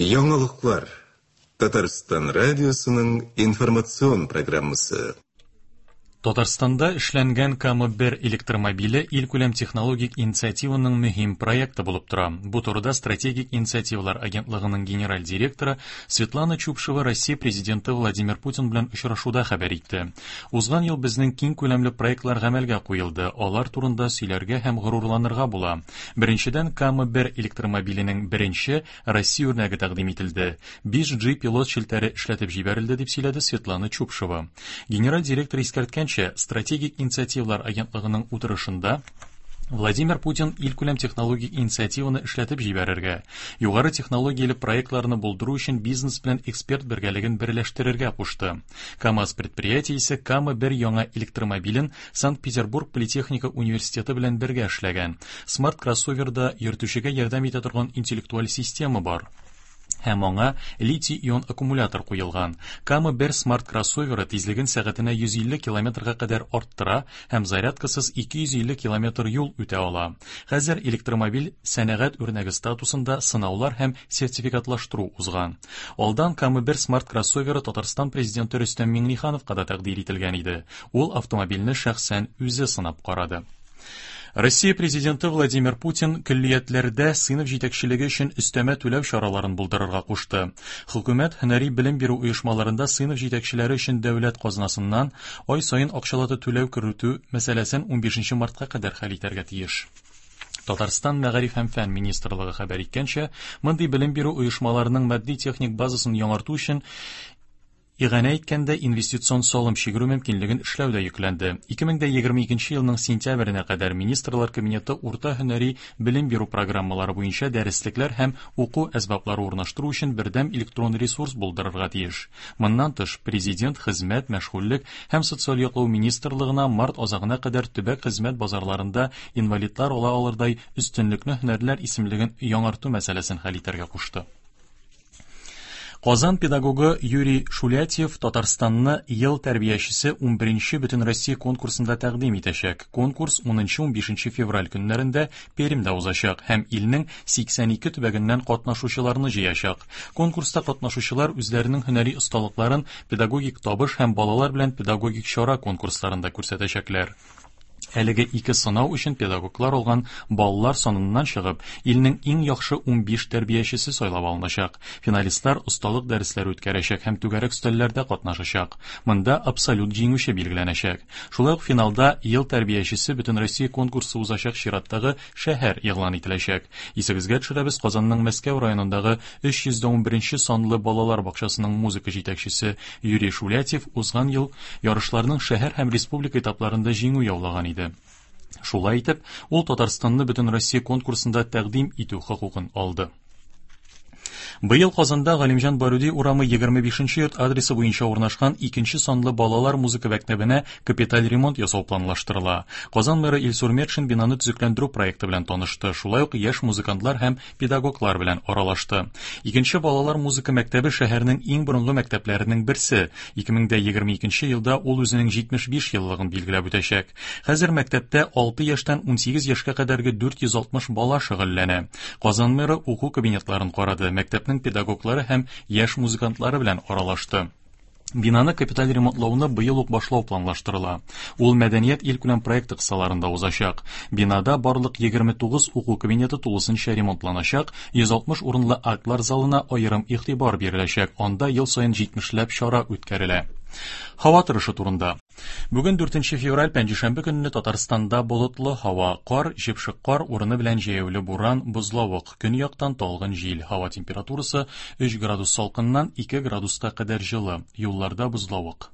Яңалыклар. Татарстан радиосының информацион программасы. Татарстанда эшләнгән Кама-1 электромобиле илкүләм технологик инициативаның мөһим проекты булып тора. Бу турыда Стратегик инициативалар агентлыгының генераль директоры Светлана Чупшева Россия Президенты Владимир Путин белән очрашуда хәбәр итте. Узган ел безнең киң күләмле проектлар гамәлгә куелды, алар турында сөйләргә һәм горурланырга була. Беренчедән, Кама-1 электромобиленең беренче Россия үрнәге тәкъдим ителде. 5G пилот челтәре эшләтеп җибәрелде, дип сөйләде Светлана Чупшева. Генераль директор искәрткәнчә, Стратегик инициативалар агентлыгының утырышында Владимир Путин илкүләм технологик инициативаны эшләтеп җибәрергә, югары технологияле проектларны булдыру өчен бизнес белән эксперт бергәлеген берләштерергә кушты. КАМАЗ предприятиесе Кама-1 яңа электромобилен Санкт-Петербург политехника университеты белән бергә эшләгән. Смарт-кроссоверда йөртүчегә ярдәм итә торган интеллектуаль система бар һәм аңа литий-ион аккумулятор куелган. Кама 1 смарт-кроссоверы тизлеген сәгатенә 150 километрга кадәр арттыра һәм зарядкасыз 250 километр юл үтә ала. Хәзер электромобиль сәнәгать үрнәге статусында сынаулар һәм сертификатлаштыру узган. Алдан Кама 1 смарт-кроссоверы Татарстан Президенты Рөстәм Миңнехановка да тәкъдир ителгән иде. Ул автомобильне шәхсән үзе сынап карады. Россия Президенты Владимир Путин көллиятләрдә сыйныф җитәкчелеге өчен өстәмә түләү чараларын булдырырга кушты. Хөкүмәт һөнәри белем бирү оешмаларында сыйныф җитәкчеләре өчен дәүләт казнасыннан ай саен акчалата түләү кертү мәсьәләсен 15 мартка кадәр хәл итәргә тиеш. Татарстан Мәгариф һәм фән министрлыгы хәбәр иткәнчә, мондый белем бирү оешмаларының матди-техник базасын яңарту өчен Иганә иткәндә инвестицион салым чигерү мөмкинлеген эшләү дә йөкләнде. 2022 елның сентябренә кадәр Министрлар Кабинеты урта һөнәри белем бирү программалары буенча дәреслекләр һәм уку әсбаплары урнаштыру өчен бердәм электрон ресурс булдырырга тиеш. Моннан тыш, Президент Хезмәт, мәшгульлек һәм социаль яклау министрлыгына март азагына кадәр төбәк хезмәт базарларында инвалидлар ала алырдай өстенлекле һөнәрләр исемлеген яңарту мәсьәләсен хәл итәргә кушты. Казан педагогы Юрий Шулятьев Татарстанны Ел тәрбиячесе 11нче Бөтенроссия конкурсында тәкъдим итәчәк. Конкурс 10-15 февраль көннәрендә Пермьдә узачак һәм илнең 82 төбәгеннән катнашучыларны җыячак. Конкурста катнашучылар үзләренең һөнәри осталыкларын Педагогик табыш һәм Балалар белән педагогик чара конкурсларында күрсәтәчәкләр. Әлеге ике сынау өчен педагоглар алган баллар саныннан чыгып, илнең иң яхшы 15 тәрбиячесе сайлап алыначак. Финалистлар осталык дәресләре үткәрәчәк һәм түгәрәк өстәлләрдә катнашачак. Монда абсолют җиңүче билгеләнәчәк. Шулай ук финалда Ел тәрбиячесе Бөтенроссия конкурсы узачак чираттагы шәһәр игълан ителәчәк. Исегезгә төшерәбез, Казанның Мәскәү районындагы 311 санлы балалар бакчасының музыка җитәкчесе Юрий Шулятьев узган ел ярышларның шәһәр һәм республика этапларында җиңү яулаган иде. Шулай итеп, ул Татарстанны Бөтенроссия конкурсында тәкъдим итү хокукын алды. Быел Казанда Галимҗан Баруди урамы 25 нче йорт адресы буенча урнашкан икенче санлы балалар музыка мәктәбенә капиталь ремонт ясау планлаштырыла. Казан мэры Илсур Метшин бинаны төзекләндерү проекты белән танышты, шулай ук яшь музыкантлар һәм педагоглар белән аралашты. Икенче балалар музыка мәктәбе шәһәрнең иң борынгы мәктәпләренең берсе. 2022 елда ул үзенең 75 еллыгын билгеләп үтәчәк. Хәзер мәктәптә 6 яшьтән 18 яшькә кадәрге 460 бала шөгыльләнә. Казан мэры уку кабинетларын карады, мәктәпнең педагоглары һәм яшь музыкантлары белән аралашты. Бинаны капиталь ремонтлауны быел ук башлау планлаштырыла. Ул Мәдәният илкүләм проекты кысаларында узачак. Бинада барлык 29 уку кабинеты тулысынча ремонтланачак, 160 урынлы актлар залына аерым игътибар биреләчәк, анда ел саен 70 ләп чара үткәрелә. Һава торышы турында. Бүген 4 февраль пәнҗешәмбе көнне Татарстанда болытлы һава, кар, җепшек кар, урыны белән җәяүле буран, бозлавык, көньяктан талгын җил. Һава температурасы 3 градус салкыннан 2 градуска кадәр җылы. Юлларда бозлавык.